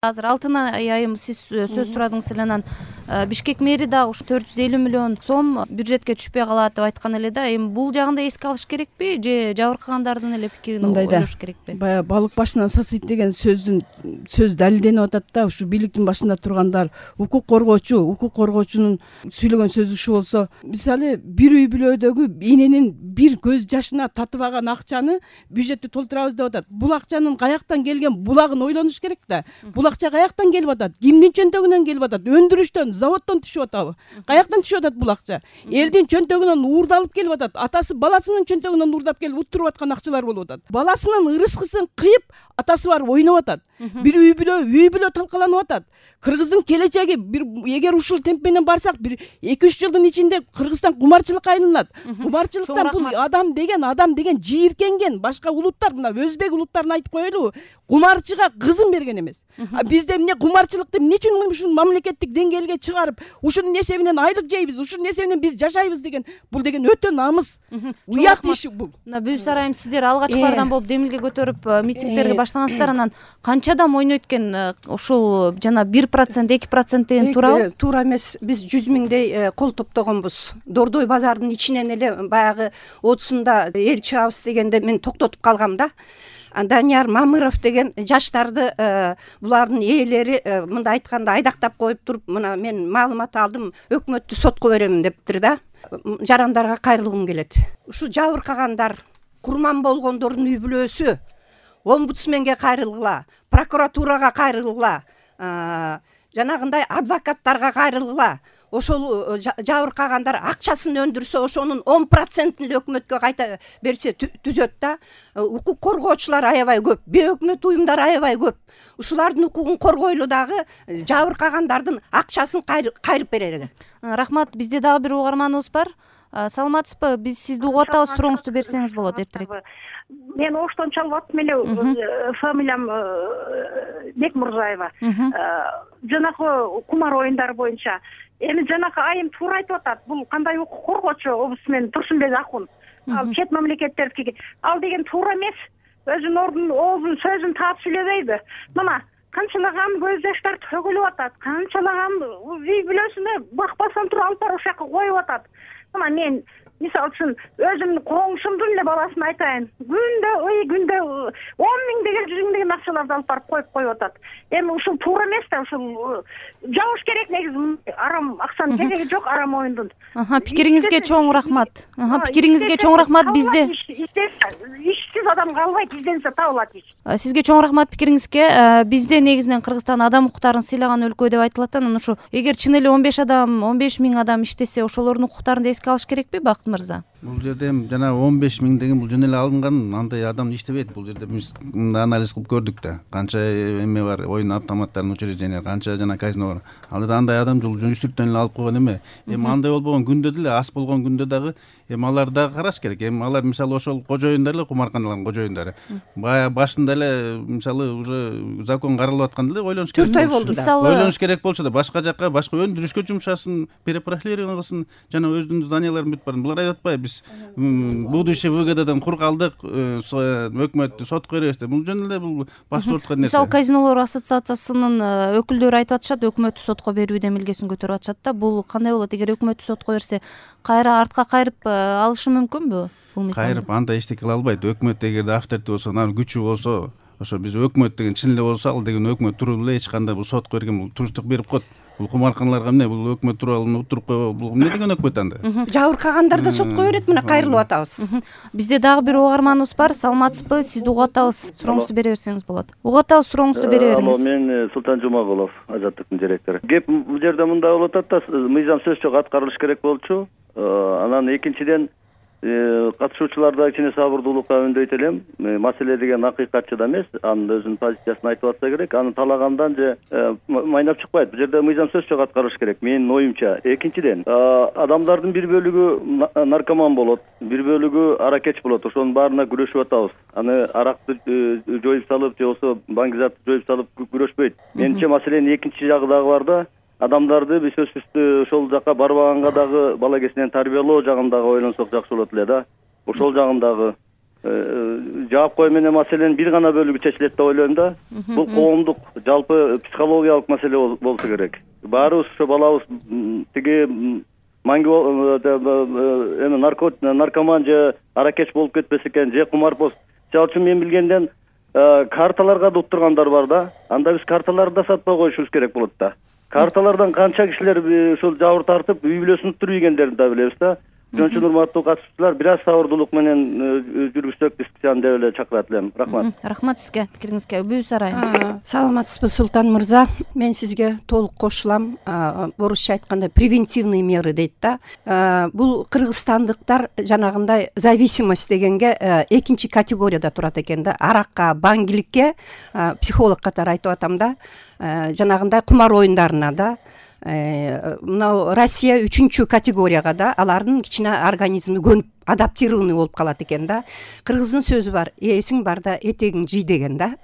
Азыр Алтын айым сиз сөз сурадыңыз эле, анан Бишкек мэри дагы ушу 450 миллион сом бюджетке түшпөй калат деп айткан эле да. Эми бул жагында эске алыш керекпи же жабыркагандардын эле пикирин ойлош керекпи? Баягы балык башынан сасыйт деген сөз далилденип атат да. Ушу бийликтин башында тургандар, укук коргоочунун сүйлөгөн сөзү ушу болсо, мисалы бир үй бүлөдөгү эненин бир көз жашына татып алган акчаны бюджетти толтурабыз деп атат. Бул акчанын каяктан келген булагын ойлонуш керек да. Бул акча каяктан келип атат? Кимдин чөнтөгүнөн келип атат? Өндүрүштөн, заводдон түшүп атабы? Каяктан түшүп атат бул акча? Элдин чөнтөгүнөн уурдалып келип атат. Атасы баласынын чөнтөгүнөн уурдап келип уттуруп аткан акчалар болуп атат. Баласынын ырыскысын кыйып, атасы барып ойноп атат. Бир үй бүлө талкаланып атат. Кыргыздын келечеги эгер ушул темп менен барсак, бир 2-3 жылдын ичинде Кыргызстан кумарчылыкка айланат. Кумарчылыктан бул адам деген жийиркенген. Башка улуттар, мына өзбек улуттарын айтып коелу, кумарчыга кызын берген эмес. Бизде эмне кумарчылыкты эмне үчүн ушул мамлекеттик деңгээлге чыгарып, ушунун эсебинен айлык жейбиз, ушунун эсебинен биз жашайбыз деген, бул деген өтө намыс. Уят иш бул. Мына Бүүс арайым, сиздер алгачкылардан болуп демилге көтөрүп митингдерге баштагансыздар, анан канча адам ойнойт экен? Ушул жана 1%, 2% деген туурабы? Туура эмес. Биз 100 миңдей кол топтогонбуз. Дордой базардын ичинен эле баягы 30-сунда эл чыгабыз дегенде мен токтотуп калгам да. Данияр Мамыров деген жаштарды булардын ээлери мындай айтканда айдактап коюп туруп, мына мен маалымат алдым, өкмөттү сотко беремин дептир да. Жарандарга кайрылгым келет. Ушу жабыркагандар, курман болгондордун үй бүлөсү омбудсменге кайрылгыла, прокуратурага кайрылгыла, жанагындай адвокаттарга кайрылгыла. Ошол жабыркагандар акчасын өндүрсө, ошонун 10%-ин эле өкмөткө кайта берсе түзөт да. Укук коргоочулар аябай көп, бейөкмөт уюмдар аябай көп. Ушулардын укугун коргойлу дагы жабыркагандардын акчасын кайрып берели. Рахмат. Бизде дагы бир угарманыбыз бар. Саламатсызбы? Биз сизди угуп атабыз, сурооңузду берсеңиз болот эртерээк. Мен Оштон чалып аттым эле, фамилиям Бекмурзаева. Жанагы кумар оюндары боюнча. Эми жанагы айым туура айтып атат. Бул кандай укук коргоочу омбудсмен Турсунбек Акун. Ал чет мамлекеттердики. Ал деген туура эмес. Өзүнүн оозун сөзүн таап сүйлөбөйбү? Мына канчалаган көз жаштар төгүлүп атат. Канчалаган үй бүлөсүнө бакпастан туруп алып барып ошол жака коюп атат. Мына мен мисалы үчүн өзүмдүн коңшумдун эле баласын айтайын. Күндө 10 миңдеген, 100 миңдеген акчаларды алып барып коюп атат. Эми ушул туура эмес да, ушул жабыш керек негизи. Арам акчанын кереги жок арам оюндун. Пикириңизге чоң рахмат. Пикириңизге чоң рахмат. Бизде ишсиз адам калбайт, изденсе табылат иш. Сизге чоң рахмат пикириңизге. Бизде негизинен Кыргызстан адам укуктарын сыйлаган өлкө деп айтылат. Анан ушу эгер чын эле 15 миң адам иштесе, ошолордун укуктарын да эске алыш керекпи, Бакыт мырза? Бул жерде жана 15 миң деген бул жөн эле алынган, андай адам иштебейт. Бул жерде биз анализ кылып көрдүк да. Канча эме бар, оюн автоматтарынын учреждения, канча жана казино бар. Ал жерде андай адам жүрүштүртөн эле алып койгон эме. Эми андай болбогон күндө деле, ас болгон күндө дагы эми алар дагы караш керек. Эми алар мисалы ошол кожоюндар эле, кумарканалардын кожоюндары. Бая башында эле мисалы уже закон каралып атканда эле ойлонуш керек. 4 ай болду да. Ойлонуш керек болчу да, башка жакка, башка өндүрүшкө жумшасын, перепрофилирование кылсын, жана өзүнүн зданияларын бүтүп барсын. Булар айтып атпайбы, биз будущее ВГДдан кур калдык, өкмөттү сотко беребиз деп. Бул жөн эле бул баштырткан нерсе. Мисалы казинолор ассоциациясынын өкүлдөрү айтып атышат, өкмөттү сотко берүү демилгесин көтөрүп атышат да. Бул кандай болот? Эгер өкмөттү сотко берсе, кайра артка кайрып алышы мүмкүнбү? Бул мисалы кайрып андай эчтеке кыла албайт. Өкмөт эгерде авторитет болсо, анын күчү болсо, ошо биз өкмөт деген чын эле болсо, ал деген өкмөт туруп эле эч кандай бул сотко берген, бул туруштук берип коет. Бул кумарканаларга эмне, бул өкмөт туруп алып утуруп койбо, бул эмне деген өкмөт анда? Жабыркагандар да сотко берет, мына кайрылып атабыз. Бизде дагы бир угарманыбыз бар. Саламатсызбы? Сизди угуп атабыз. Сурооңузду бере берсеңиз болот. Угуп атабыз, сурооңузду бере бериңиз. Мен Султан Жумагулов, Азаттыктын директору. Кеп бул жерде мындай болуп атат да, мыйзам сөз жок аткарылыш керек болчу. Анан экинчиден катышуучуларда кичине сабырдуулукка үндөйт элем. Маселе деген акыйкатчы да эмес, анын өзүнүн позициясын айтып атса керек. Аны талагандан же майнап чыкпайт. Бул жерде мыйзам сөз жок аткарылыш керек, менин оюмча. Экинчиден, адамдардын бир бөлүгү наркоман болот, бир бөлүгү аракеч болот. Ошонун баарына күрөшүп атабыз. Аны аракты жоюп салып, же болбосо баңгизатты жоюп салып күрөшпөйт. Менимче маселенин экинчи жагы дагы бар да. Адамдарды биз сөзсүз ошол жака барбаганга дагы бала кезинен тарбиялоо жагын дагы ойлонсок жакшы болот эле да. Ошол жагын дагы жаап менен маселенин бир гана бөлүгү чечилет деп ойлойм да. Бул коомдук жалпы психологиялык маселе болсо керек. Баарыбыз ошо балабыз тиги наркоман же аракеч болуп кетпесе экен, же кумарбоз. Ал үчүн мен билгенден карталарга да уттургандар бар да. Анда биз карталарды да сатпай коюшубуз керек болот да. Карталардан канча кишилер ушул жабыр тартып, үй бүлөсүн уттуруп да билебиз да. Ошон үчүн урматтуу катышуучулар, бир аз сабырдуулук менен жүргүзсөк дискуссияны деп эле чакырат элем. Рахмат. Рахмат сизге, пикириңизге. Бүүс Арайым. Саламатсызбы, Султан мырза. Мен сизге толук кошулам. Орусча айтканда превентивный меры дейт да. Бул кыргызстандыктар жанагындай зависимость дегенге экинчи категорияда турат экен да. Аракка, баңгиликке, психолог катары айтып атам да. Жанагындай кумар оюндарына да. Мына Россия 3-чү категорияга да, алардын кичине организми көнүп адаптированный болуп калат экен да. Кыргыздын сөзү бар, эсиң барда этегиң жый деген да.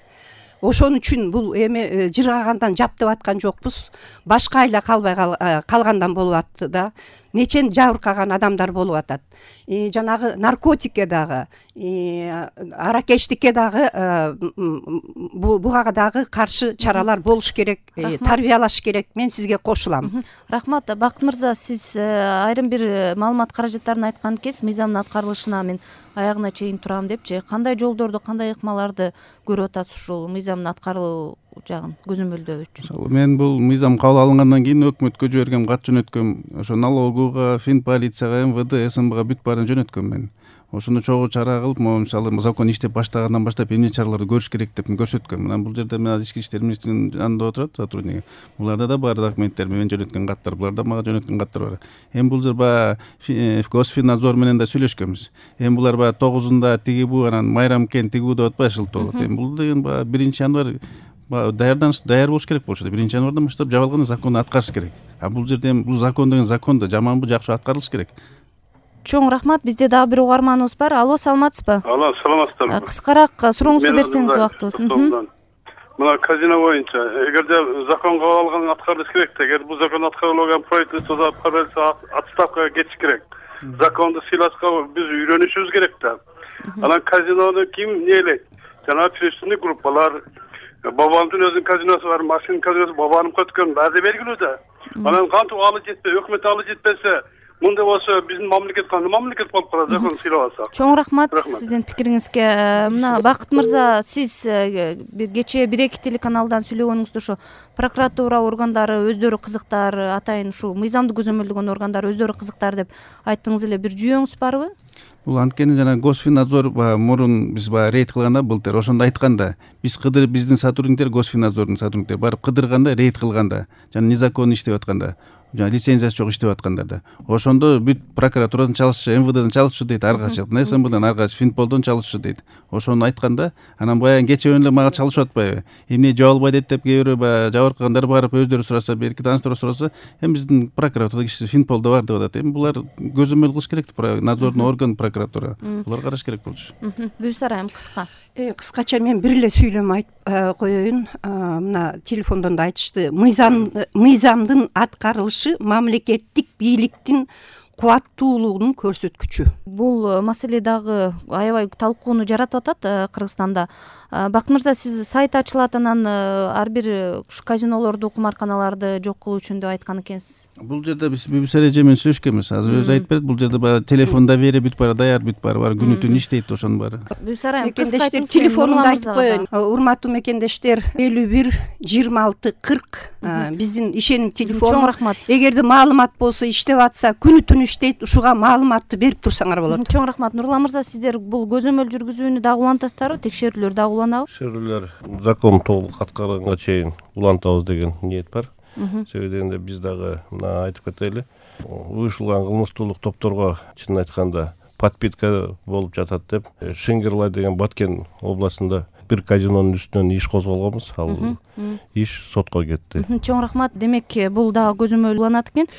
Ошон үчүн бул эми жыргагандан жаптып аткан жокпуз. Башка айла калбай калгандан болуп атты да. Нечен жабыркаган адамдар болуп атат. Жанагы наркотикке дагы, аракечтикке дагы буга дагы каршы чаралар болуш керек, тарбиялаш керек. Мен сизге кошулам. Рахмат. Бакыт мырза, сиз айрым бир маалымат каражаттарын айткан кез мыйзамдын аткарылышына мен аягына чейин турам депчи, кандай жолдорду, кандай ыкмаларды көрүп атасыз ушул мыйзамдын аткарылуу жагын көзөмөлдөө үчүн? Мен бул мыйзам кабыл алынгандан кийин өкмөткө жибергем, кат жөнөткөм. Ошо налогуга, фин полицияга, МВД, СМБга бүт баарын жөнөткөм мен. Ошону чогуу чара кылып, мисалы закон иштеп баштагандан баштап эмне чараларды көрүш керек деп көрсөткөм. Мына бул жерде мен Ички иштер министринин жанында отурат сотрудник. Буларда да бар документтер, мен жөнөткөн каттар, буларда мага жөнөткөн каттар бар. Эми бул жер баягы Госфиннадзор менен да сүйлөшкөнбүз. Эми булар баягы 9-унда тиги бу, анан майрамкен тигүү деп атпай шылтоо болот. Эми бул деген баягы 1-январь даяр болуш керек болчу. 1-январдан баштап жабылган законду аткарыш керек. Бул жерде эми бул закон деген закон да жаманбы, жакшы аткарылыш керек. Чоң рахмат. Бизде дагы бир угарманыбыз бар. Алло, саламатсызбы? Алло, саламатсыздарбы? Кыскараак сурооңузду берсеңиз убактыбыз. Мына казино боюнча эгерде закон кабыл алган аткарылыш керек да, эгер бул закон аткарылбаган правительство отставкага кетиш керек. Законду сыйлашка биз үйрөнүшүбүз керек да. Анан казинону ким нейлейт? Жана преступный группалар, бабамдын өзүнүн казиносу бар, машинанын казиносу бабанын көткөн, баары белгилүү да. Анан кантип алы жетпей, өкмөт алы жетпесе, мындай болсо биздин мамлекет кандай мамлекет болуп калат, закон сыйлап алса. Чоң рахмат сиздин пикириңизге. Мына Бакыт мырза, сиз кечээ 1-2 телеканалдан сүйлөгөнүңүздө ошо прокуратура органдары өздөрү кызыктар, атайын ушул мыйзамды көзөмөлдөгөн органдар өздөрү кызыктар деп айттыңыз эле. Бир жүйөңүз барбы? Бул анткени жана Госфиннадзор мурун биз рейд кылганда былтыр ошондо айтканда, биз кыдырып биздин сотрудниктер, Госфиннадзордун сотрудниктери барып кыдырганда, рейд кылганда, жана незаконно иштеп атканда, жана лицензиясы жок иштеп аткандарда, ошондо бүт прокуратурадан чалышчу, МВДден чалышчу дейт ар кайсы, СМБдан ар кайсы, Финполдон чалышчу дейт. Ошону айтканда, анан баягы кечээ эле мага чалышып атпайбы? Эмне жабыл албайт деп кээ бирөө баягы жабыркагандар барып өздөрү сураса, берки тааныштар сураса, эми биздин прокуратурада киши Финполдо бар деп атат. Эми булар көзөмөл кылыш керек, надзорный орган прокуратура. Булар караш керек болчу. Бүүс Арайым, кыска. Кыскача мен бир эле сүйлөм айтып коеюн. Мына телефондон да айтышты. Мыйзамдын аткарылышы мамлекеттик бийликтин кубаттуулугунун көрсөткүчү. Бул маселе дагы аябай талкууну жаратып атат Кыргызстанда. Бакыт мырза, сиз сайт ачылат, анан ар бир ушу казинолорду, кумарканаларды жок кылуу үчүн деп айткан экенсиз. Бул жерде биз BBC эже менен сүйлөшкөнбүз. Азыр өзү айтып берет, бул жерде баягы телефон доверие бүт баары даяр, бүт баары бар, күнү түнү иштейт ошонун баары. Бүүс Арайым, мекендештер телефонунду айтып коеюн. Урматтуу мекендештер, 51 26 40 биздин ишеним телефону. Чоң рахмат. Эгерде маалымат болсо, иштеп атса, күнү түнү иштейт, ушуга маалыматты берип турсаңар болот. Чоң рахмат. Нурлан мырза, сиздер бул көзөмөл жүргүзүүнү дагы улантасыздарбы? Текшерүүлөр дагы уланабы? Текшерүүлөр закон толук аткарганга чейин улантабыз деген ниет бар. Себеби дегенде биз дагы мына айтып кетели, уюшулган кылмыштуулук топторго чынын айтканда подпитка болуп жатат деп, Шенгерлай деген Баткен областында бир казинонун үстүнөн иш козголгонбуз. Ал иш сотко кетти. Чоң рахмат. Демек бул дагы көзөмөл уланат экен.